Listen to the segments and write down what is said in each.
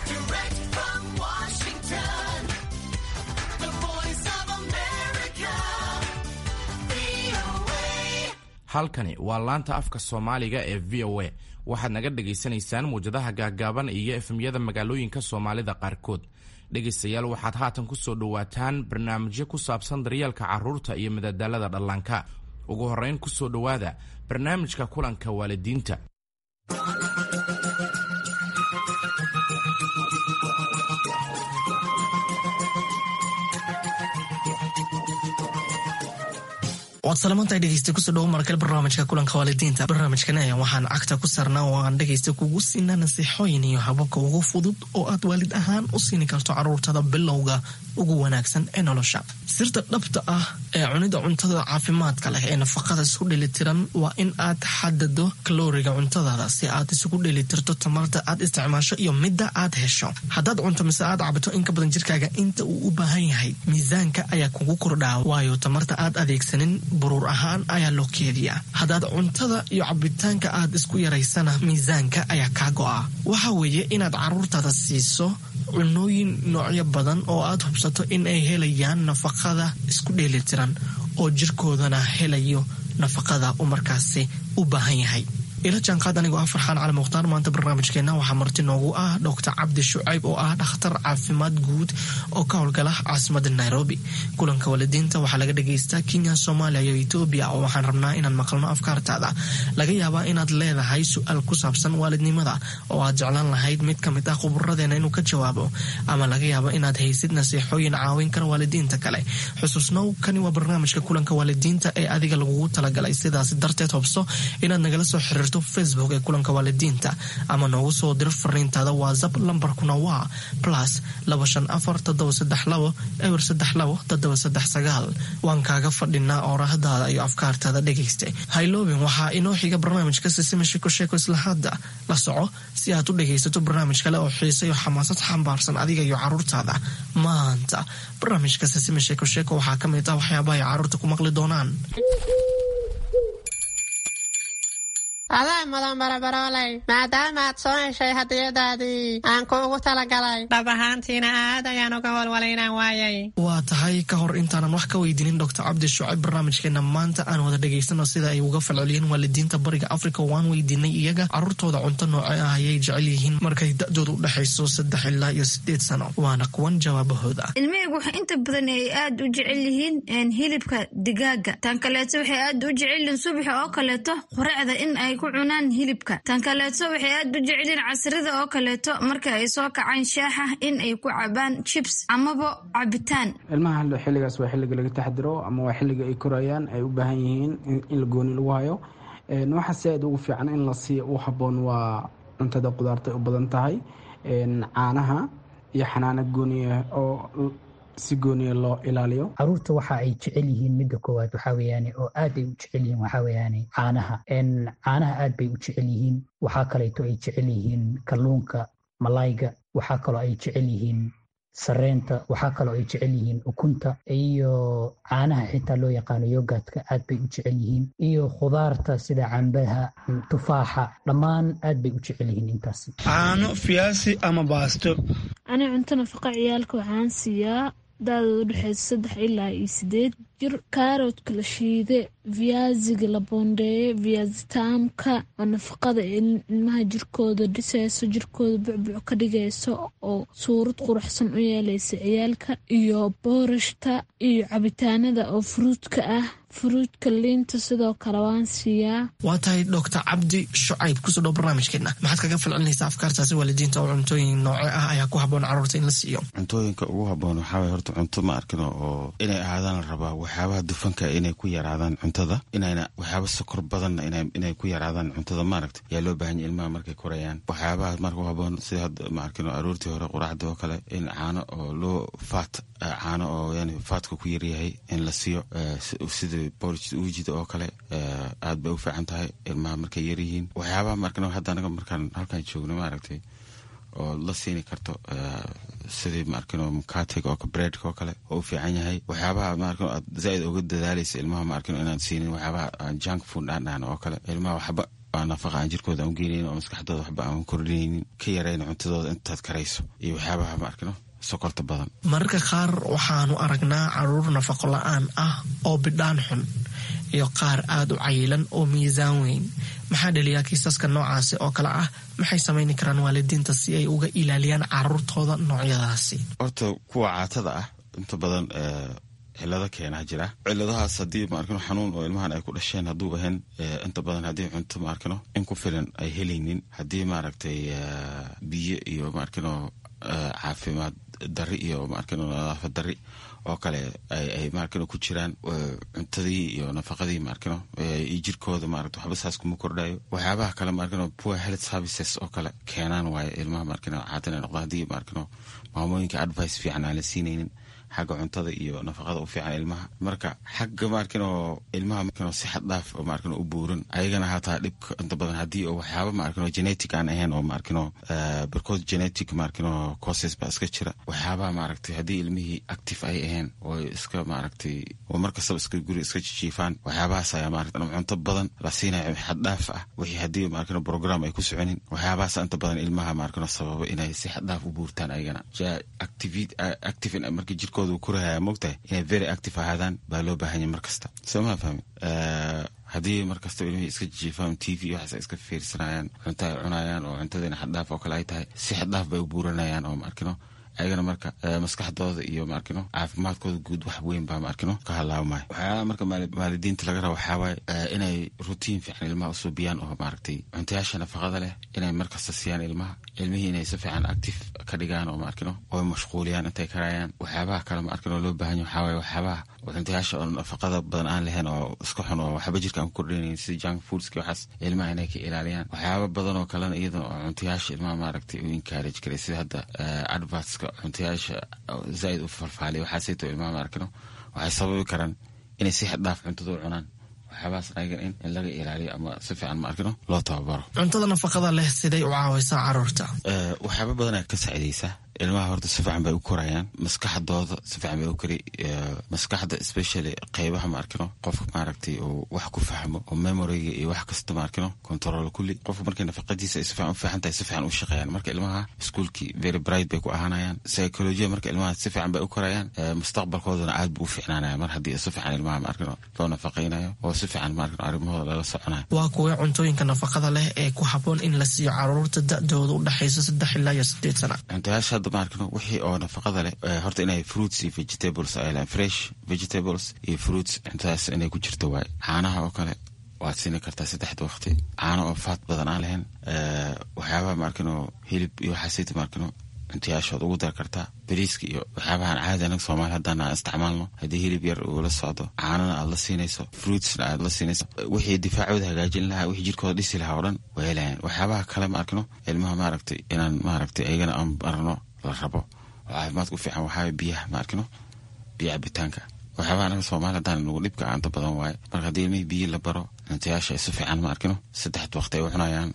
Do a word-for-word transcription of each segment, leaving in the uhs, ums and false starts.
Direct from Washington, the voice of America, V O A. Halkani waa laanta afka Soomaaliga ee V O A. Waxaad naga dhagaysanaysaan muwjadaha gaagaaban iyo F M-yada magaalooyinka Soomaalida qaarkood. Dhegaystayaal, waxaad haatan ku soo dhowaataan barnaamijyo ku saabsan daryeelka carruurta iyo madadaalada dhallaanka. Ugu horrayn, ku soo dhowaada barnaamijka kulanka waalidiinta. Waad salamantahay, dhegeysta. Kusoo dhawo markale barnaamijka kulanka waalidiinta. Barnaamijkan ayaa waxaan cagta ku saarnaa oo aan dhegeysta kugu siinaa nasiixooyin iyo hababka ugu fudud oo aad waalid ahaan u siini karto caruurtada bilowga ugu wanaagsan ee nolosha. Sirta dhabta ah ee cunida cuntada caafimaadka leh ee nafaqada isku dheelitiran waa in aad xadado kalooriga cuntadaada si aad isugu dheelitirto tamarta aad isticmaasho iyo midda aad hesho. Haddaad cunto mise aad cabto in ka badan jirkaaga inta uu u baahan yahay, miisaanka ayaa kugu kordhaa, waayo tamarta aad adeegsanin buruur ahaan ayaa loo keediyaa. Haddaad cuntada iyo cabitaanka aad isku yaraysana, miisaanka ayaa kaa go'a. Waxa weeye inaad caruurtaada siiso cunooyin noocyo badan oo aad hubsato in ay helayaan nafaqada isku dheelitiran oo jirkoodana helayo nafaqada uu markaasi u baahan yahay. Ila jaanqaad anigoo ah Farxaan Cali Mukhtaar. Maanta barnaamijkeena waxaa marti noogu ah Doctor Cabdi Shucayb oo ah dhakhtar caafimaad guud oo ka howlgala caasimada Nairobi. Kulanka waalidiinta waxaa laga dhagaystaa Kenya, Soomaaliya iyo Etoobiya, oo waxaan rabnaa inaan maqalno afkaartaada. Laga yaabaa inaad leedahay su-aal ku saabsan waalidnimada oo aad jeclaan lahayd mid ka mid ah khuburadeena inuu ka jawaabo, ama laga yaabo inaad haysid nasiixooyin caawin kara waalidiinta kale. Xusuusnow, kani waa barnaamijka kulanka waalidiinta ee adiga lagugu talagalay. Sidaas darteed, hubso inaad nagala soo xiriirto Facebook ee kulanka waalidiinta ama noogu soo diro fariintaada WhatsApp. Lambarkuna waa plus laba shan afar toddoba saddex labo eber saddex labo toddoba saddex sagaal. Waan kaaga fadhinaa oorahdaada iyo afkaartaada, dhegayste. Hayloobin, waxaa inoo xiga barnaamijka Sisima Sheeko Sheeko. Isla hadda la soco si aad u dhegaysato barnaamij kale oo xiise iyo xamaasad xambaarsan adiga iyo caruurtaada. Maanta barnaamijka Sisima Sheeko Sheeko waxaa ka mid ah waxyaabaha ay caruurta ku maqli doonaan. Adaa mudan, barabarooley, maadaama aad soo heshay hadiyadaadii aan kuugu talagalay. Dhab ahaantiina aad ayaan uga walwalay inaan waayay. Waa tahay. Ka hor intaanan wax ka weydiinin Doctor Cabdi Shucayb barnaamijkeena maanta, aan wada dhegaysano sida ay uga falceliyeen waalidiinta Bariga Africa. Waan weydiinay iyaga caruurtooda cunto nooce ah ayay jecel yihiin markay da-dooda u dhexayso saddex ilaa iyo sideed sano. Waana kuwan jawaabahooda. Ilmahaygu waxay inta badan ay aad u jecel yihiin hilibka digaaga. Tan kaleeto, waxay aad u jecel yihiin subaxa oo kaleeto quraacda in ay ku cunaan hilibka. Tan kaleeto, waxay aad u jecel yihiin casrida oo kaleeto marka ay soo kacaan shaaxa in ay ku cabaan chips amaba cabitaan. Ilmaha xilligaas waa xilliga laga taxdiro ama waa xilliga ay korayaan, ay u baahan yihiin in la gooni lagu hayo. Waxa si aad ugu fiican in la siiyo u habboon waa cuntada qudaarta ay u badan tahay, caanaha iyo xanaano gooniya oo si gooniya loo ilaaliyo. Caruurta waxa ay jecel yihiin, midda koowaad waxaa weeyaane oo aad ay u jecel yihiin, waxaa weeyaane caanaha. Caanaha aad bay u jecel yihiin. Waxaa kaleeto ay jecel yihiin kalluunka, malayga. Waxaa kaloo ay jecel yihiin sareenta. Waxaa kaloo ay jecel yihiin ukunta iyo caanaha xitaa loo yaqaano yogurtka, aad bay u jecel yihiin, iyo khudaarta sida cambaha, tufaaxa, dhammaan aad bay u jecel yihiin intaasi. Caano, fiyaasi ama baasto. Ani cunto nafaqa ciyaalka waxaan siiyaa da-dooda udhexeysa saddex ilaa iyo sideed jir kaaroodka la shiide, viyaasiga la boondeeye, viyaasitaamka oo nafaqada ilmaha jirkooda dhiseyso, jirkooda bucbuc ka dhigayso oo suurad quruxsan u yeeleysa ciyaalka, iyo boorashta iyo cabitaanada oo fruitka ah, fruitka, liinta sidoo kale waan siiyaa. Waa tahay. Doctor Cabdi Shucayb, kusoo dhow barnaamijkeena. Maxaad kaga falcelinaysaa afkaartaasi waalidiinta oo cuntooyin nooce ah ayaa ku habboon caruurta in la siiyo? Cuntooyinka ugu habboon waxaa waye horta cunto ma arkino oo inay ahaadaan la rabaa waxyaabaha dufanka inay ku yaraadaan cuntada, inayna waxyaaba sokor badanna inay ku yaraadaan cuntada, maaragta, yaa loo baahan yahy ilmaha markay korayaan. Waxyaabaha marka u habboon sida hadda, ma arkino, aroortii hore quraacda oo kale in caano oo loo faat, caano oo yani faatka ku yaryahay in la siiyo, sida porridge uujida oo kale, aad bay u fiican tahay ilmaha markay yaryihiin. Waxyaabaha markano hadda anaga markaan halkaan joogno, maaragtay, oo la siini karto, sidii maarkino mukatiga oo breadka oo kale oo u fiican yahay. Waxyaabaha maarkino aad zaaid uga dadaalaysa ilmaha maarkino inaad siinin, waxyaabaha junk food aan dhahno oo kale, ilmaha waxba nafaqa aan jirkooda aan ugeenaynin oo maskaxdooda waxba aan kordhinaynin, ka yarayna cuntadooda intaad karayso, iyo waxyaabaha maarkino sokorta badan. Mararka qaar waxaanu aragnaa caruur nafaqo la-aan ah oo bidhaan xun iyo qaar aada u cayilan oo miisaan weyn. Maxaa dhaliyaa kiisaska noocaasi oo kale ah? Maxay samayni karaan waalidiinta si ay uga ilaaliyaan caruurtooda noocyadaasi? Horta kuwa caatada ah inta badan cilado keenaa jira. Ciladahaas haddii maarkino xanuun oo ilmahan ay ku dhasheen hadduu ahayn, inta badan haddii cunto maarkino in ku filan ay helaynin, haddii maaragtay biyo iyo maarkino caafimaad dari iyo maarkino nadaafad dari oo kale ay maarkino ku jiraan, cuntadii iyo nafaqadii maarkino iyo jirkooda maaragta waxba saas kuma kordhayo. Waxyaabaha kale maarkino poor health services oo kale keenaan waaye ilmaha maarkino caatan ay noqdaan, haddii maarkino maamooyinka advice fiican aan la siinaynin xagga cuntada iyo nafaqada u fiican ilmaha. Marka xagga maarkino ilmaha maarkino si xad dhaaf oo maarkino u buuran, ayagana hataa dhibka inta badan haddii oo waxyaaba maarkino genetic aan ahayn oo maarkino barkood genetic maarkino causes baa iska jira. Waxyaabaha maaragtay haddii ilmihii active ay ahayn oo iska maaragtay oo mar kastaba iska guri iska jijiifaan, waxyaabahaas ayaa maaragtay cunto badan la siinayo xad dhaaf ah, wixii haddii maarkino program ay ku soconin, waxyaabahaas inta badan ilmaha maarkino sababa inay si xad dhaaf u buurtaan. Ayagana active marka jirkooda uu korahaya, moogtahay inay very active ahaadaan baa loo baahan yahay mar kasta, soo maa fahmi? Haddii mar kastaba ilmihii iska jiifaan, T V waxaas ay iska fiirsanayaan, cunto ay cunayaan oo cuntadiina xaddhaaf oo kale ay tahay, si xaddhaaf bay u buuranayaan oo maarkino ayagana marka maskaxdooda iyo maarkino caafimaadkooda guud wax weyn baa maarkino ka halaabmaya. Waxyaalaha marka waalidiinta laga raba waxaa waaye inay routine fiican ilmaha usuubiyaan oo maaragtay cuntayaasha nafaqada leh inay markasta siiyaan ilmaha, ilmihii inay si fiican active ka dhigaan oo maarkino oo mashquuliyaan intay karayaan. Waxyaabaha kale maarkino loo baahan yahay waxaa waaye waxyaabaha cuntayaasha oo nafaqada badan aan lahayn oo iska xun oo waxba jirka aan ku kordhinayn, sida junk foodski, waxaas ilmaha inay ka ilaaliyaan. Waxyaaba badan oo kalena iyadana oo cuntayaasha ilmaha maaragtay u encourage karay, sida hadda advertska cuntayaasha zaaid u falfaaliya, waxaasayto ilmaha maarkino waxay sababi karaan inay si xad dhaaf cuntada u cunaan. Waxyaabahaas ayagan in in laga ilaaliyo ama si fiican maarkino loo tababaro. Cuntada nafaqada leh siday u caawisaa caruurta? Waxyaaba badanaa ka saacidaysa ilmaha. Horta si fiican bay u korayaan, maskaxdooda si fiican bay u kori, maskaxda especially qeybaha maarkino qofka maaragtay uu wax ku fahmo oo memoryga iyo wax kasta maarkino control kulli. Qofka markay nafaqadiisa ay si fiican u fiican tahay, si fiican u shaqeeyaan. Marka ilmaha iskuulkii very bright bay ku ahaanayaan, psychology marka ilmaha si fiican bay u korayaan, mustaqbalkoodana aad buu u fiicnaanaya mar haddii si fiican ilmaha maarkino loo nafaqaynayo oo si fiican maarkino arrimahooda lala soconayo. Waa kuwee cuntooyinka nafaqada leh ee ku habboon in la siiyo caruurta da-dooda u dhexaysa saddex ilaa iyo sideed sana? Cuntayaasha hadda maarkino wixii oo nafaqada leh, horta inay fruits iyo vegetables ay lehan, fresh vegetables iyo fruits, cuntadaas inay ku jirto waaye. Caanaha oo kale waad siini kartaa saddexda waqti, caano oo fat badan aan lahayn. Waxyaabaha maarkino hilib iyo waxaasita maarkino cuntayaashood ugu dar kartaa, bariiska iyo waxyaabahan caadi anaga Soomaali haddaan aan isticmaalno. Haddii hilib yar uu la socdo, caanana aad la siinayso, fruitsna aad la siinayso, wixii difaacooda hagaajin lahaa, wixii jirkooda dhisi lahaa oo dhan way helayaan. Waxyaabaha kale ma arkino ilmaha maaragtay inaan maaragtay ayagana aan barno la rabo oo caafimaadka u fiican waxaa biyaha ma arkino, biyo cabitaanka. Waxyaabaha anaga Soomaali haddaan nagu dhibka inta badan waaye. Marka haddii ilmihii biyo la baro, cuntayaasha ay si fiican ma arkino saddexda waqti ay u cunayaan,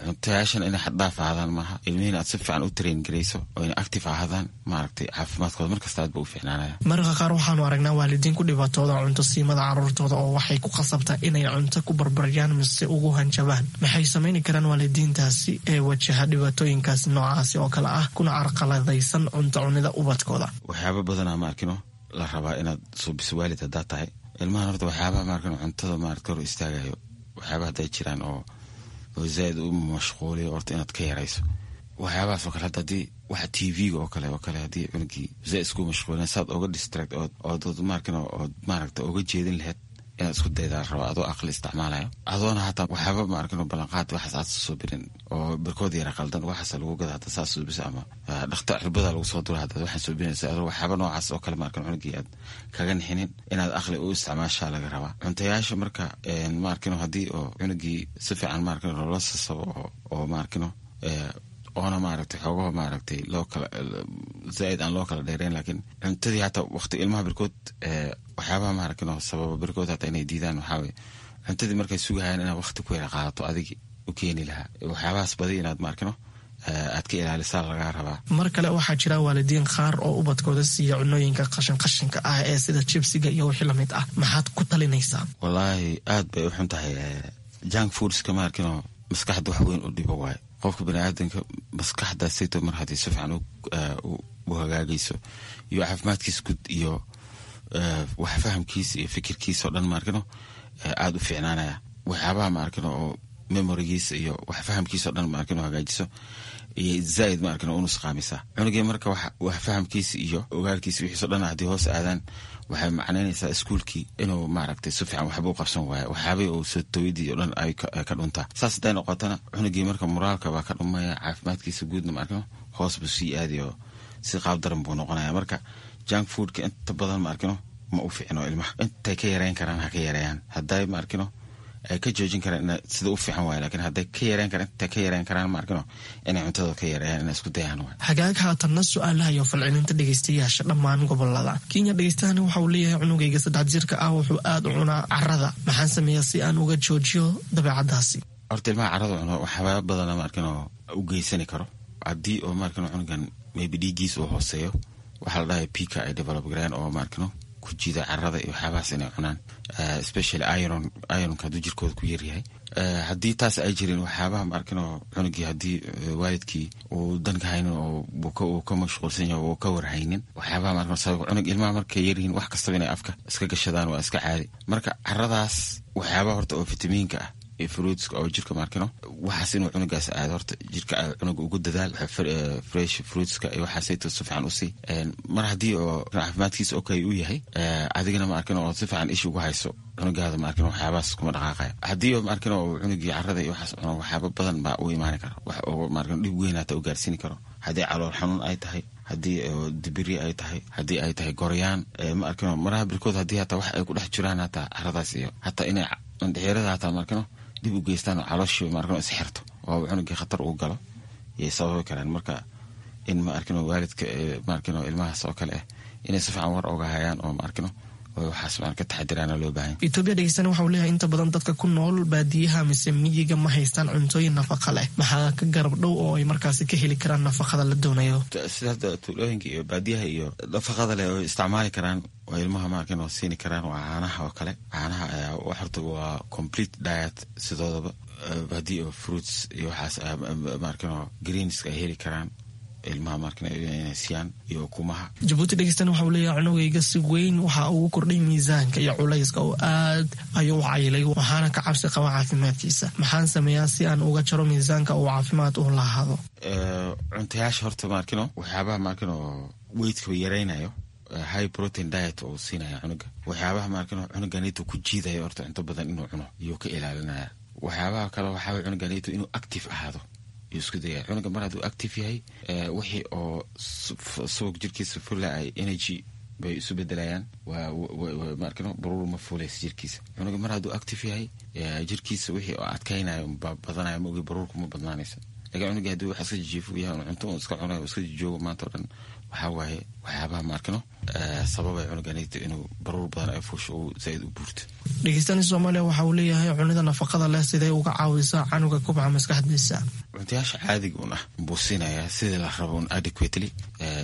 cuntayaashana inay xaddhaaf ahaadaan maaha, ilmihiina aad si fiican u train garayso oo inay active ahaadaan, maaragtay caafimaadkooda markasta aad ba u fiicnaanaya. Mararka qaar waxaanu aragnaa waalidiin ku dhibaatooda cunto siimada caruurtooda oo waxay ku khasabtaa inay cunto ku barbaryaan mise ugu hanjabaan. Maxay samayni karaan waalidiintaasi ee wajaha dhibaatooyinkaas noocaasi oo kale ah kuna carqaladaysan cunto cunida ubadkooda? Waxyaaba badanaa ma arkino la rabaa inaad suubiso waalid haddaad tahay ilmahan. Horta waxyaabaha maarkino cuntada maarata hor istaagayo, waxyaaba hadday jiraan oo oo zaaid u mashquuliyo, horta inaad ka yarayso waxyaabahaas oo kale. Hadda haddii waxa T V-ga oo kale oo kale haddii cunugii zaaid isku mashquulin, saad oga distract ood ood maarkino ood maaragta oga jeedin lahayd inaad isku daydaa rabo, adoo aqli isticmaalayo, adoona hataa waxyaaba maarkino ballanqaad waxaas aad soo birin oo barkood yara qaldan waxaas lagu gada hadda saas suubisa ama dhakta cirbada lagu soo dura hadda waxaan suubinaysa, adoo waxyaaba noocaas oo kale maarkino cunugii aad kaga nixinin, inaad aqli u isticmaashaa laga rabaa cuntayaasha. Marka maarkino haddii oo cunugii si fiican maarkino loola sasabo oo oo maarkino oona maaragtay xoogaho maaragtay loo kala zaaid aan loo kala dheereyn, laakiin cuntadii hataa waqti ilmaha barkood waxyaabaha maaragtay sababa barkood hataa inay diidaan waxaa waye cuntadii markay sugahayaan inaad waqti ku yara qaadato adigi u keeni lahaa, waxyaabahaas badi inaad maarkino Aad ka ilaalisaa lagaa rabaa. Mar kale, waxaa jira waalidiin qaar oo ubadkooda siiya cunooyinka qashin qashinka ah ee sida jibsiga iyo wixii lamid ah. Maxaad ku talinaysaa? Wallaahi, aad bay u xun tahay junk foodska. Ma arkino, maskaxda wax weyn u dhibo waayo. Qofka baniaadanka maskaxdaasayto mar haddii si fiican u hagaagayso iyo caafimaadkiisa guud iyo wax fahamkiisa iyo fikirkiisa oo dhan, ma arkino, aada u fiicnaanaya. Waxyaabaha, ma arkino, oo memorygiisa iyo wax fahamkiisa o dhan, ma arkino, hagaajiso iyo zaaid, ma arkino, u nusqaamisa cunugii. Marka wax fahamkiisa iyo ogaalkiisa wixiiso dhan haddii hoos aadaan, waxay macnaynaysaa iskuulkii inuu maaragtay si fiican waxba u qabsan waayo, waxyaabihii uu soo tawidii o dhan ay ka dhuntaa. Saas hadday noqotana, cunugii marka moraalka baa ka dhumaya, caafimaadkiisa guudna, ma arkino, hoos buu sii aadayo, si qaab daran buu noqonaya. Marka junk foodka inta badan, ma arkino, ma u fiicno ilmaha. Intay ka yareyn karaan ha ka yareeyaan. Hadday, ma arkino, ay ka joojin karaan sida u fiican waay, lakiin hadday ka yareyn karaan, intay ka yareyn karaan, ma arkino, inay cuntada ka yareeyaan, inay isku dayaan waay. Hagaag, haatanna su-aalaha iyo falcelinta dhegeystayaasha dhammaan gobolada Kenya. Dhegeystahani waxa uu leeyahay: cunugayga saddex jirka ah wuxuu aada u cunaa carada. Maxaan sameeyaa si aan uga joojiyo dabeecadaasi? Horta ilmaha carada cuno waxyaaba badana, ma arkino, u geysani karo. Haddii oo, ma arkino, cunugan maybe dhiiggiis uu hooseeyo, waxaa la dhahay pica ay develop gareen oo, ma arkino, ku jiida carada iyo waxyaabahaas inay cunaan, especially iron. Ironka hadduu jirkooda ku yaryahay, haddii taas ay jirin, waxyaabaha, ma arkino, cunugii haddii waalidkii uu danka haynin oo uu ka mashquulsan yahay oo ka warhaynin waxyaabaha, ma arkino, sabab cunug ilmaha markay yaryihiin wax kastaba inay afka iska gashadaan waa iska caadi. Marka caradaas waxyaabaha horta oo fitamiinka ah iyo fruitska oo jirka, ma arkino, waxaas inuu cunugaas aado horta jirka cunuga ugu dadaal fresh fruitska iyo waxaasayto si fiican usii. Mar haddii oo caafimaadkiisa okay uu yahay, adigana, ma arkino, oo si fiican ish ugu hayso cunugaada, ma arkino, waxyaabahaas kuma dhaqaaqaya. Haddii oo, ma arkino, oo cunugii carada iyo waxaas cuno, waxyaaba badan baa u imaani kara, wax oo, ma arkino, dhib weyn hata u gaarsiini karo. Haddii calool xanuun ay tahay, haddii dibiri ay tahay, haddii ay tahay goryaan, ma arkino, maraha birkood haddii hataa wax ay ku dhex jiraan hataa caradaas iyo hataa inay mandhixirada hataa, ma arkino, dib u geystaan oo calooshii, ma arkino, isxirto oo cunugii khatar uu galo yay sababi karaan. Marka in, ma arkino, waalidka, ma arkino, ilmahaas oo kale ah inay si fiican war oga hayaan oo, ma arkino, oo waxaas maan ka taxadiraana loo baahan. Etoobiya dhegeystana waxa uu leeyahay: inta badan dadka ku nool baadiyaha mise miyiga ma haystaan cuntooyin nafaqa leh. Maxaa ka garab dhow oo ay markaasi ka heli karaan nafaqada la doonayo? Sida hadda tuulooyinka iyo baadiyaha iyo nafaqada leh oo isticmaali karaan oo ilmaha, ma arkin, oo siini karaan waa caanaha oo kale. Caanaha ayaa horta waa complete diet sidoodaba. Haddii oo fruits iyo waxaas, ma arkin, oo greenska ay heli karaan ilmaha, ma arkin, inay siiyaan iyo ukumaha. Jabuuti dhegeystana waxa uu leeyahay: cunugayga si weyn waxa ugu kordhay miisaanka iyo culayska oo aad ayuu u cayilay, waxaana ka cabsi qaba caafimaadkiisa. Maxaan sameeyaa si aan uga jaro miisaanka uu caafimaad u lahaado? Cuntayaasha horta, ma arkino, waxyaabaha, ma arkino, weightka yaraynayo, high protein diet oo siinaya cunuga. Waxyaabaha, ma arkino, cunuganito ku jiidayo horta cunto badan inuu cuno iyuu ka ilaalinaya. Waxyaabaha kale waxaa cunuganito inuu active ahaado yuu isku dayaya. Cunuga mar hadduu active yahay, wixii oo subag jirkiisa fula ay energy bay isu bedelayaan. Waa, ma arkino, baruur ma fuulaysa jirkiisa. Cunuga mar hadduu active yahay, jirkiisa wixii oo adkaynayo badanayo, ma ogi, baruurku ma badnaanaysa. Lakin cunuga haddii wax iska jijiifo yahay, cunto un iska cunayo, iska jijoogo maanta o dhan, waxaa waaye waxyaabaha, ma arkino, sababay cunuganito inuu baruur badan ay fuusho uu zaaid u buurto. Dhegeystani Soomaaliya waxa uu leeyahay: cunida nafaqada leh sidee uga caawisaa canuga kubca maskaxdiisa? Cuntayaasha caadiga un ah buu siinayaa sidii la rabo un adequately,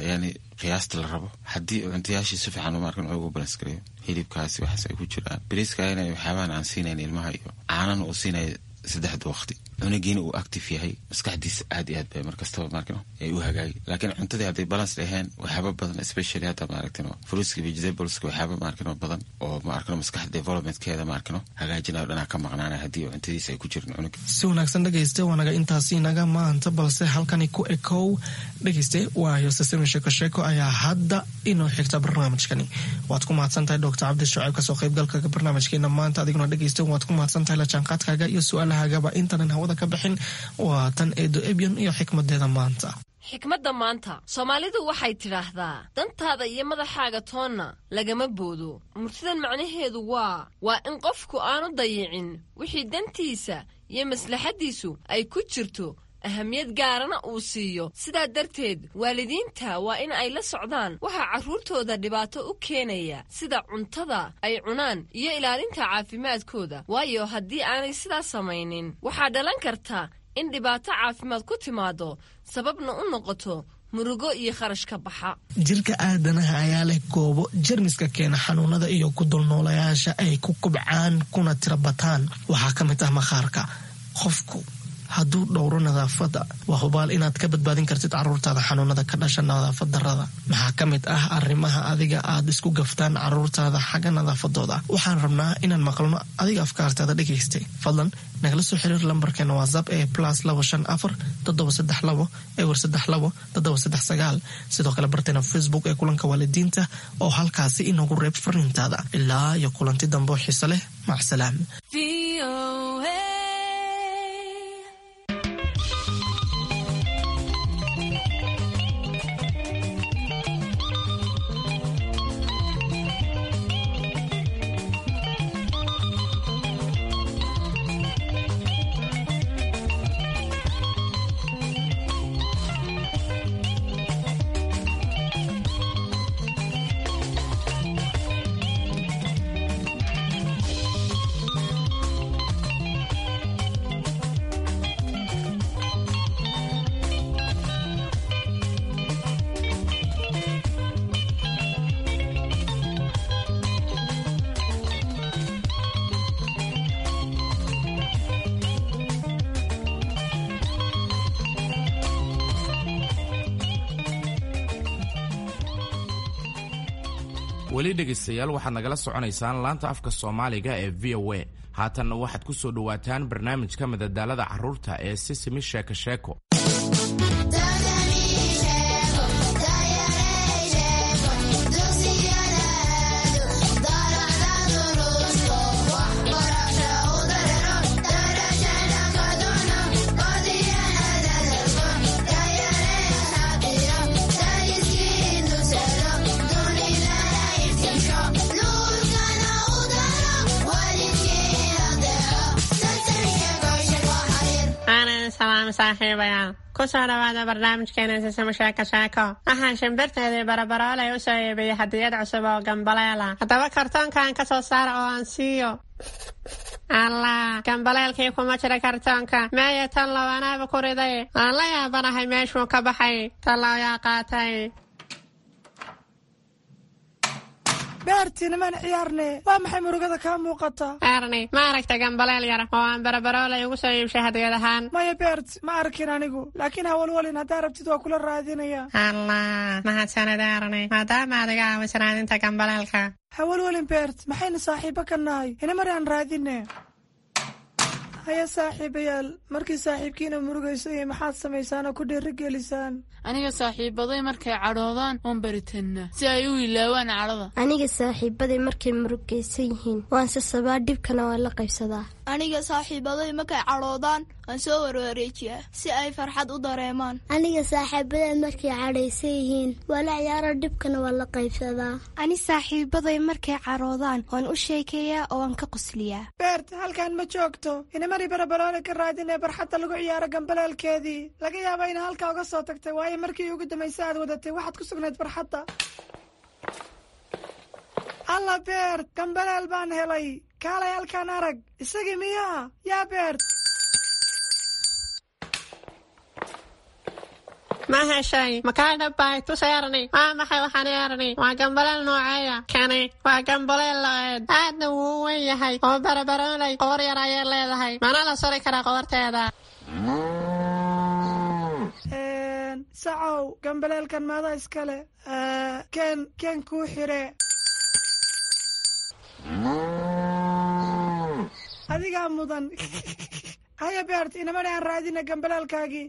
yani qiyaasta la rabo. Haddii cuntayaashii si fiican, ma arkin, ugu balance gareeyo, hilibkaasi waxaas ay ku jiraan, bariiska ina waxyaabahan aan siinayn ilmaha iyo caanana uu siinaya saddexda waqti, cunugiina uu active yahay, maskaxdiisa aad iyo aad bay markastaba, maarkino, ay u hagaagi. Laakiin cuntadii hadday balance dhaheen, waxyaaba badan, especially hadda, maaragtino, fruitska, vegetables, waxyaaba, maarkino, badan oo, maarkino, maskaxda developmentkeeda, maarkino, hagaajinayo dhanaa ka maqnaanaya haddii cuntadiisa ay ku jirin cunuga. Si wanaagsan dhegeyste, waanaga intaasi naga maanta, balse halkani ku ekow dhegeyste. Waayo sasami sheeko sheeko ayaa hadda inoo xigta barnaamijkani. Waad ku mahadsan tahay Doctor Cabdi Shucayb kasoo qaybgalka barnaamijkeena maanta. Adiguna dhegeyste, waad ku mahadsan tahay la jaanqaadkaaga iyo su-aalahagaba. Intaanan hawada ka bixin, waa tan Eedo Ebyon iyo xikmadeeda maanta. Xikmadda maanta, Soomaalidu waxay tidhaahdaa: dantaada iyo madaxaaga toonna lagama boodo. Murtidan macnaheedu waa waa in qofku aanu dayicin wixii dantiisa iyo maslaxaddiisu ay ku jirto, ahamiyad gaarana uu siiyo. Sidaa darteed waalidiinta waa in ay la socdaan waxaa carruurtooda dhibaato u keenaya, sida cuntada ay cunaan iyo ilaalinta caafimaadkooda, waayo haddii aanay sidaas samaynin waxaa dhalan karta in dhibaato caafimaad ku timaado, sababna u noqoto murugo iyo kharash ka baxa. Jirka aadanaha ayaa leh goobo jermiska keena xanuunada iyo ku dulnoolayaasha ay ku kubcaan kuna tira bataan. Waxaa ka mid ah maqaarka. Qofku hadduu dhowro nadaafadda, waa hubaal inaad ka badbaadin kartid caruurtaada xanuunada ka dhasha nadaafad darada. Maxaa ka mid ah arrimaha adiga aad isku gaftaan caruurtaada xagga nadaafadooda? Waxaan rabnaa inaan maqalno adiga afkaartaada dhegaystay. Fadlan nagala soo xiriir lambarkeena WhatsApp ee plus labo shan afar toddoba saddex labo ewer saddex labo toddoba saddex sagaal. Sidoo kale barteena Facebook ee Kulanka Waalidiinta oo halkaasi inoogu reeb fariintaada. Ilaa iyo kulanti dambe oo xiise leh, macsalaam. Weli dhegaystayaal, waxaad nagala soconaysaan laanta afka Soomaaliga ee V O A. Haatanna waxaad ku soo dhowaataan barnaamijka madadaalada carruurta ee Sisimi Sheeko Sheeko. Aanan salaam saaxiibayaal, kusoo dhawaada barnaamijkeena Sisimo Sheeko Sheeko. Waxaan shimbirteedii Barabaroolay u soo iibiyey hadiyad cusub oo gambaleela. Haddaba kartoonkan ka soo saara oo aan siiyo. Allah, gambaleelkii kuma jira kartoonka. Meeya tan low? Anaaba ku riday. Waan la yaabanahay meeshuu ka baxay. Tallow yaa qaatay? Beertii, nimaan ciyaarne. Waa maxay murugada kaa muuqata? Erni, ma aragta gambaleel yar oo aan Barabaroolay ugu soo iibshay hadiyad ahaan? Maya Beert, ma arkin anigu, laakiin hawalwalin, haddaa rabtid waa kula raadinaya. Allah, mahadsanid Erni, maadaama aad iga caawisan raadinta gambaleelka. Hawalwalin Beert, maxaynu saaxiibo ka nahay? Inamar aan raadine. Haya saaxiibayaal, markii saaxiibkiina murugayso iyo maxaad samaysaan oo ku dhiirigelisaan? Aniga saaxiibaday markay cadhoodaan oon baritanna si ay u ilaawaan cadhada. Aniga saaxiibaday markay murugaysan yihiin waan sasabaa, dhibkana waan la qaybsadaa. Aniga saaxiibaday markay cadhoodaan waan soo warwareejiyaa si ay farxad u dareemaan. Aniga saaxiibaday markay cadhaysan yihiin waa la ciyaaro, dhibkana waan la qaybsadaa. Ani saaxiibaday markay cadhoodaan waan u sheekeeyaa oo waan ka qosliyaa. Beert, halkan ma joogto. Inamari Barabaroole ka raadinee barxadda lagu ciyaaro gambaleelkeedii. Laga yaaba ina halkaa uga soo tagtay, waayo markii ugu dambaysa aad wadatay waxaad ku sugnayd barxadda. Alla Beert, gambaleel baan helay. Kaalay halkaan arag. Isagii miyaa yaa Beert? Ma heshay? Makaa dhabbay? Tus Erni. Waa maxay waxaan Erni? Waa gambaleel nooceeya kani? Waa gambaleel lo'eed, aadna wuu u weyn yahay oo Barabaroolay qoor yar ayay leedahay. Mana la suri karaa qoorteeda? Sacow, gambaleelkan maada iskale? Keen, keen kuu xire. Adigaa mudan. Haya Beert, inamani aan raadina gambaleelkaagii.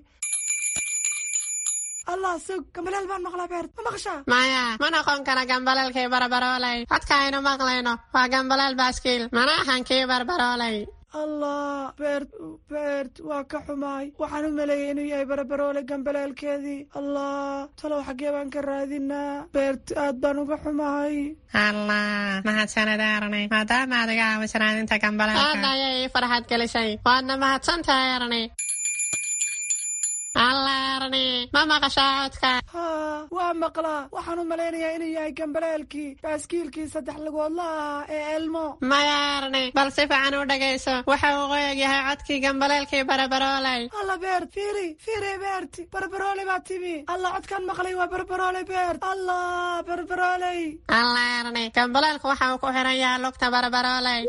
Allah, sug, gambaleel baan maqlaa. Beert, ma maqashaa? Maya, ma noqon kara gambaleelkii Barabaroolay. Codka aynu maqlayno waa gambaleel baaskiil, mana ahan kii Barbaroolay. Allah Beert, Beert, waa ka xumaay. Waxaan u maleeyay inuu yahay Barabaroole gambaleelkeedii. Allah, talow xaggee baan ka raadinaa? Beert, aad baan uga xumahay. Allah, mahadsanid Erni, maadaama aad iga caawisan raadinta gambaleelka. Aad ayay ii farxad gelisay, waadna mahadsan tahay Erni. Alla Erni, ma maqashaa codka? Haa, waa maqlaa. Waxaan u malaynayaa inuu yahay gambaleelkii baaskiilkii saddex lugoodla ahaa ee Elmo. Maya Erni, bal si fiican u dhegayso. Waxa uu qoyag yahay codkii gambaleelkii Barabarooley. Alla Beert, fiiri fiiri, Beert, Barbarooley baa timi. Alla, codkaan maqlay waa Barbarooley, Beert. Allah, Barbarooley! Alla Erni, gambaleelku waxa uu ku xiran yahay lugta Barabarooley.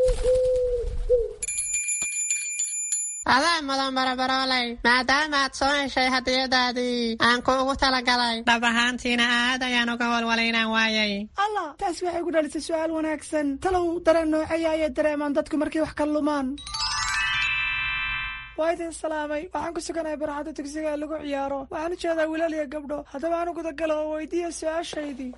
Adaa mudan Barabarooley, maadaama aad soo heshay hadiyadaadii aan kuugu talagalay. Dhab ahaantiina aad ayaan uga walwalay inaan waayay. Allah, taasi waxay ku dhalisay su'aal wanaagsan. Talow dareen nooceeya ayay dareemaan dadku markay wax ka lumaan? Waa idin salaamay. Waxaan ku suganahay barxadda dugsiga ee lagu ciyaaro. Waxaan u jeedaa wiilal iyo gabdho. Haddaba aan u gudagalo oo weydiiya su-aashaydii.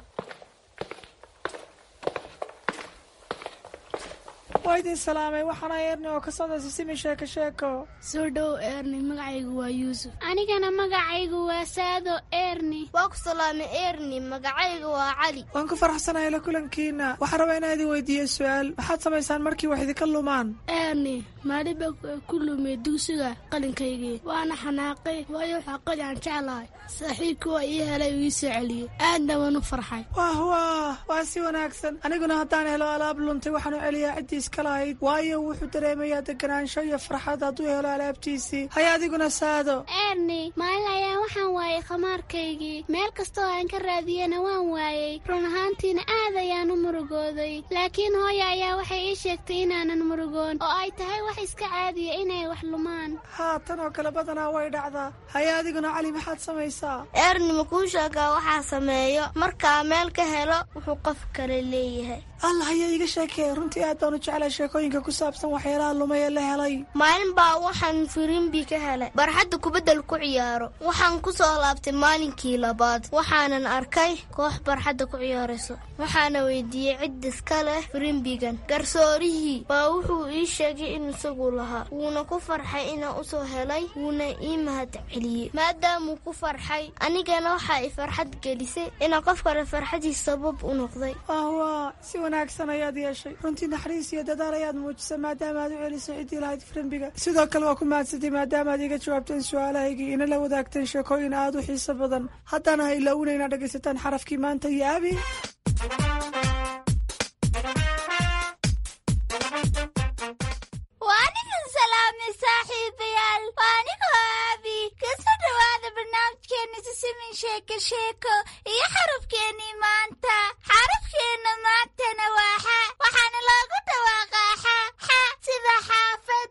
Waa idin salaamay. Waxaana Erni oo ka socda Sisimi Sheeko Sheeko. Soo dhow Erni, magacaygu waa Yuusuf. Anigana magacaygu waa Saado Erni. Waa ku salaamay Erni, magacaygu waa Cali. Waan ku faraxsanahay la kulankiina. Waxaan rabaa inaan idin weydiiyo su-aal. Maxaad samaysaan markii wax idinka lumaan? Erni, maalin baa ku lumay dugsiga qalinkaygii, waana xanaaqay, waayo waxaa qalin aan jeclahay. Saaxiibkii waa ii helay oo ii soo celiyey, aadna waan u farxay. Wah wah, waa si wanaagsan. Aniguna haddaan helo alaab luntay, waxaan u celiyaa ciddii iska lahayd, waayo wuxuu dareemayaa deganaansho iyo farxad hadduu helo alaabtiisii. Haya, adiguna Saado? Erni, maalin ayaa waxaan waayay khamaarkaygii. Meel kastoo aan ka raadiyena waan waayey. Run ahaantiina aad ayaan u murugooday, laakiin hooya ayaa waxay ii sheegtay inaanan murugoon oo ay tahay wax iska caadiya inay wax lumaan. Haa, tan oo kale badanaa way dhacdaa. Haya, adiguna Cali, maxaad samaysaa? Erni, ma kuu sheegaa waxaa sameeyo markaa meel ka helo wuxuu qof kale leeyahay? Allah, ayaa iiga sheekee. Runtii aad baan u jeclaa sheekooyinka ku saabsan waxyaalaha lumay ee la helay. Maalin baa waxaan firimbi ka helay barxadda kubaddal ku ciyaaro. Waxaan ku soo laabtay maalinkii labaad, waxaanan arkay koox barxadda ku ciyaarayso. Waxaana weydiiyey cid iska leh firimbigan. Garsoorihii baa wuxuu ii sheegay in isagu lahaa, wuuna ku farxay inaan usoo helay, wuuna ii mahad celiyey maadaamuu ku farxay. Anigana waxaa i farxad gelisay inaan qof kale farxadiis sabab u noqday. Wah, si wanaagsan ayaad yeeshay. Runtii naxariis iyo dadaal ayaad muujisay maadaama aad u celisay ciddii lahayd firimbiga. Sidoo kale waa ku mahadsantay maadaama aad iga jawaabteen su-aalahaygii, ina la wadaagteen sheekooyin aad u xiiso badan. Haddana ha ilaawina inaad dhegaysataan xarafkii maanta iyo Abi. Waa idin salaamay saaxiibayaal, waa anigoo Aabi. Kasoo dhawaada barnaamijkeena Sisimin Sheeko Sheeko iyo xarafkeenii maanta. Xarafkeenna maantana waa xa, waxaana loogu dhawaaqaa xa xa, sida xaafad.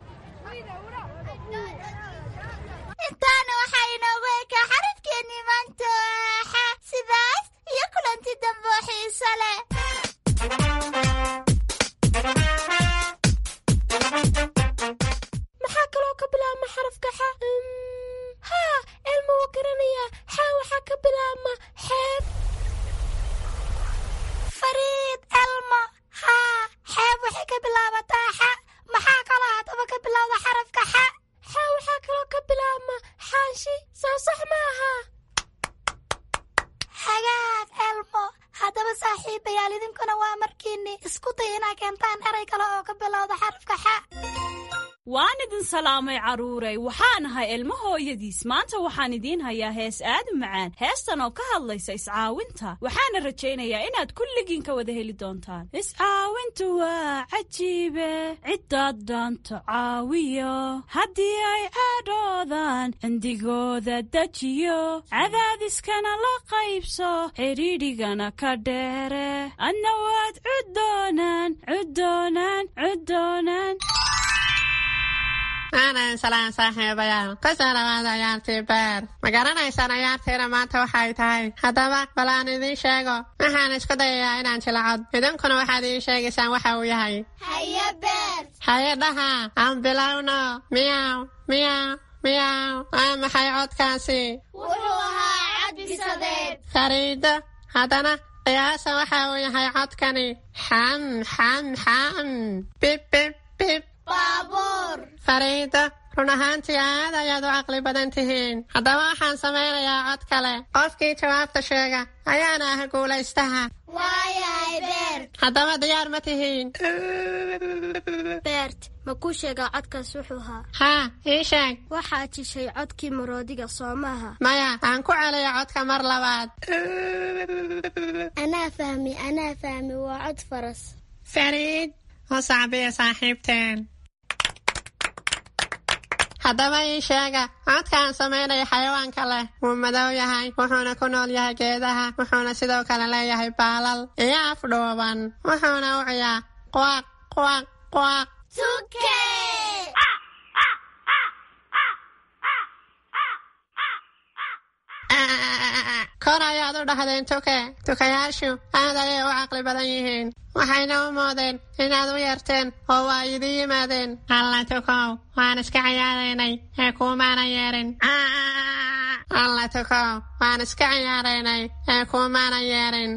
Intaana waxaa inoogu ekaa xarafkeenii maanta oo ah xa. Sidaas iyo kulanti dambe oo xiiso leh. Maxaa kaloo ka bilaabma xarafka xa? Haa, Elma wuu garanayaa. Xa waxaa ka bilaabma xeeb. Fariid Elma, haa, xeeb waxay ka bilaabataa xa. Maxaa kaloo haddaba ka bilowda xarafka xa? Xa waxaa kaloo ka bilaabma xaashi, soo sax ma aha? Hagaag Elmo. Haddaba saaxiibayaal, idinkuna waa markiinni isku day inaa keentaan eray kale oo ka bilowda xarafka xa. Waan idin salaamay carruuray. Waxaan ahay Ilmo hooyadiis. Maanta waxaan idiin hayaa hees aad u macaan, heestan oo ka hadlaysa iscaawinta. Waxaana rajaynayaa inaad kulligiin ka wada heli doontaan. Iscaawintu waa cajiibe, ciddaad dhaanto caawiyo, haddii ay cadhoodaan cindigooda dejiyo, cadaadiskana la qaybso, xidhiidhigana ka dheere, adna waad cuddoonaan cuddoonaan cuddoonaan. Aanan salaan saaxiibayaal, kusoo dhawaada ciyaartii beer. Ma garanaysaan ciyaartiina maanta waxay tahay? Haddaba bal aan idiin sheego. Waxaan isku dayayaa inaan jilacod, idinkuna waxaad ii sheegaysaan waxa uu yahay. Haye Beer. Haye dhaha, aan bilowno. Miyaw miyaw miyaw, waa maxay codkaasi? Wuxuu ahaa cad bisadeed. Fariido, haddana qiyaasa waxa uu yahay codkani. Xam xam xam, bib bib bib. Baabuur. Fariido, run ahaantii aad ayaad u caqli badan tihiin. Haddaba waxaan samaynayaa cod kale. Qofkii jawaabta sheega ayaana ah guulaystaha. Waayahay Beert. Haddaba diyaar ma tihiin? Beert, ma kuu sheegaa codkaas wuxuu ahaa? Haa, ii sheeg. Waxaad jishay codkii maroodiga, soo maaha? Maya, aan ku celiyo codka mar labaad. Anaa fahmi, anaa fahmi, waa cod faras. Fariid, u sacbiya saaxiibteen. Haddaba ii sheega codka aan samaynayo xayawaanka leh. Wuu madow yahay, wuxuuna ku nool yahay geedaha, wuxuuna sidoo kale leeyahay baalal iyo af dhuuban, wuxuuna u ciyaa quaq quaq quaq. Tuke! Kor ayaad u dhahdeen tuke. Tukayaashu aad ayay u caqli badan yihiin, waxayna u moodeen inaad u yeerteen oo waa idin yimaadeen. Alla tukow, waan iska ciyaaraynay ee kuumaana yeerin. Alla tukow, waan iska ciyaaraynay ee kuumaana yeerin.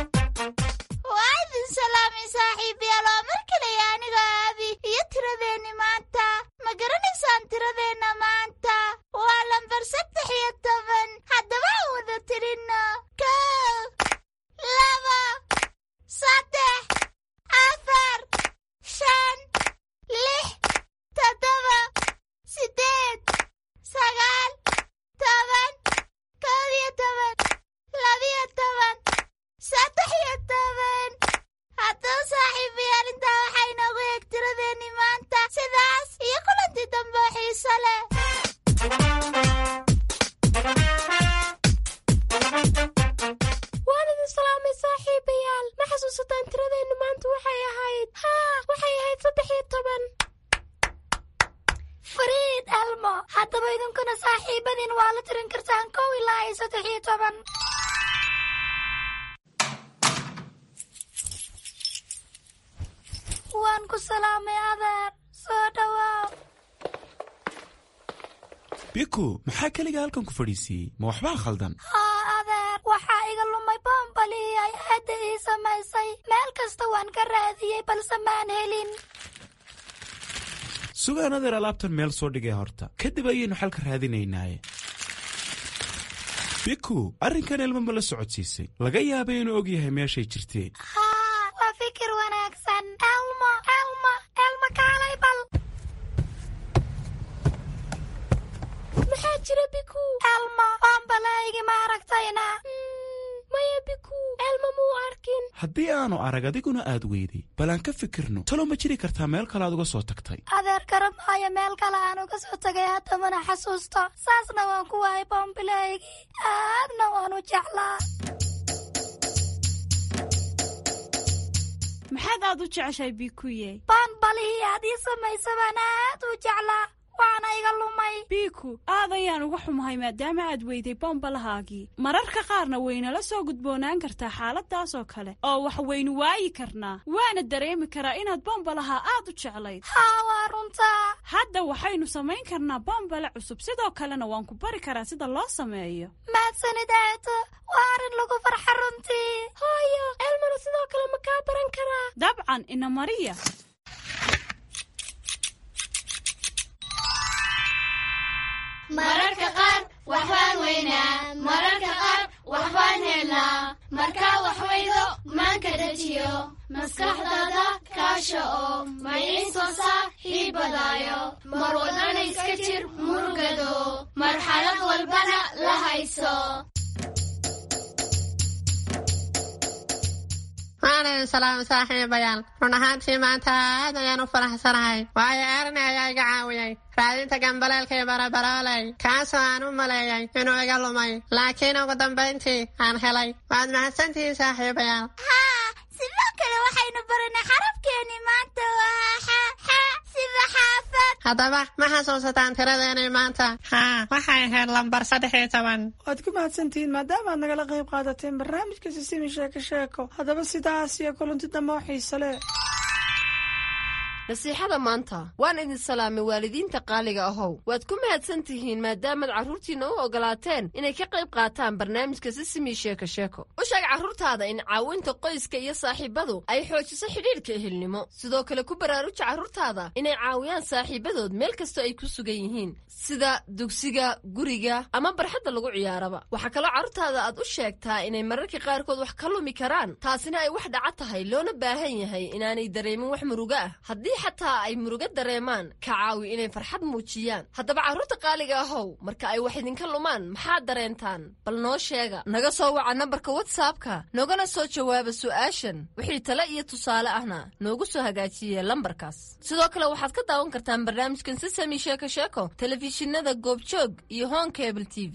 Waa idin salaamay saaxiibayaal, waa mar kale aniga Aabi iyo tiradeenni maanta. Ma garanaysaan tiradeenna maanta? Waa lambar saddex iyo toban. Haddaba aan wada tirinno: kow, laba, saddex, afar, shan, lix, toddoba, siddeed, sagaal, toban, kow iyo toban, labiyo toban, saddex iyo toban. Haddaba saaxiibayaal, intaa waxaa inoogu eeg tiradeenni maanta. Sidaas iyo kulantii dambe oo xiiso leh. Waan idin salaamay saaxiibayaal. Ma xasuusataan tiradeennu maanta waxay ahayd? Haa, waxay ahayd saddex iyo toban. Fariid, Elmo, haddaba idinkuna saaxiibadiin waa la tirin kartaan kow ilaa iyo saddex iyo toban. Waan ku salaamay adeer, soo dhawaaw. Biku, maxaa keliga halkan ku fadhiisiiyey? Ma waxbaa khaldan? Haa adeer, waxaa iga lumay boombalihii ay aadda ii samaysay. Meel kasta waan ka raadiyey balse maan helin. Sugaan adeer, alaabtan meel soo dhigay horta, kadib ayaynu xalka raadinaynaaye. Biku, arrinkan Elmo ma la socodsiisay? Laga yaabay inuu og yahay meeshay jirtee. Haa, waa fikir wanaagsan. Elmo, Elmo, Elmo, kaalay bal. Maxaa jira Biku? Elmo, boombalahaygi ma aragtayna? Maya Biku, Elmo muu arkin. Haddii aanu arag adiguna aad weyday, bal aan ka fikirno. Talo ma jiri kartaa meel kale aad uga soo tagtay? Adeer, garan maayo meel kale aan uga soo tagay, haddamana xasuusto. Saasna waan ku waayay boombilahaygii, aadna waan u jeclaa. Maxaad aad u jeceshahay Bikuye? Boombalihii aad ii samaysa baan aad u jeclaa, waana iga lumay. Biku, aad ayaan uga xumahay maadaama aad weyday bombalahaagii. Mararka qaarna waynala soo gudboonaan kartaa xaaladaas oo kale, oo wax waynu waayi karnaa. Waana dareemi karaa inaad bombalaha aad u jeclayd. Haa, waa runtaa. Hadda waxaynu samayn karnaa bombale cusub, sidoo kalena waan ku bari karaa sida loo sameeyo. Mahadsanid aato, waa arrin lagu farxa runtii. Hooyo, Elmona sidoo kale ma kaa baran karaa? Dabcan, ina mariya. Mararka qaar waxbaan weynaa, mararka qaar waxbaan helnaa. Markaa wax weydo maanka dejiyo, maskaxdaada kaasha oo maciin soo saaxiibadaayo. Mar wadana iska jir murugado, marxalad walbana la hayso. Waan idin salaamay saaxiibayaal. Run ahaantii maanta aad ayaan u faraxsanahay, waayo Erni ayaa iga caawiyey raadinta gambaleelkii barabarooley, kaasoo aan u maleeyay inuu iga lumay, laakiin ugu dambayntii aan helay. Waad mahadsantihiin saaxiibayaal. Haa, sidoo kale waxaynu baranay xarafkeeni maanta, waa xa, xa sida xaafad. Haddaba ma xasuusataan tiradeenii maanta? Haa, waxay ahayd lambar saddex iyo toban. Waad ku mahadsantihiin maadaama aad nagala qayb qaadateen barnaamijka Sisimi Sheeko Sheeko. Haddaba sidaas iyo kulanti dambe oo xiise leh. Nasiixada maanta. Waan idin salaamay, waalidiinta qaaliga ahow. Waad ku mahadsan tihiin maadaamaad carruurtiinna u ogolaateen inay ka qayb qaataan barnaamijka Sisimi Sheeko Sheeko. U sheeg carruurtaada in caawinta qoyska iyo saaxiibadu ay xoojiso xidhiidhka ehelnimo. Sidoo kale ku baraaruja carruurtaada inay caawiyaan saaxiibadood meel kastoo ay ku sugan yihiin, sida dugsiga, guriga ama barxadda lagu ciyaaraba. Waxaa kaloo carruurtaada aad u sheegtaa inay mararka qaarkood wax ka lumi karaan, taasina ay wax dhaca tahay, loona baahan yahay inaanay dareemin wax murugo ah. Haddii xataa ay murugo dareemaan, ka caawi inay farxad muujiyaan. Haddaba carruurta qaaliga ahow, marka ay wax idinka lumaan maxaad dareentaan? Bal noo sheega. Naga soo waca nambarka WhatsAppka, noogana soo jawaaba su'aashan. Wixii tale iyo tusaale ahna noogu soo hagaajiye lambarkaas. Sidoo kale waxaad ka daawan kartaan barnaamijkan Sisami Sheeko Sheeko telefishinada Goobjoog iyo Horn Cable T V.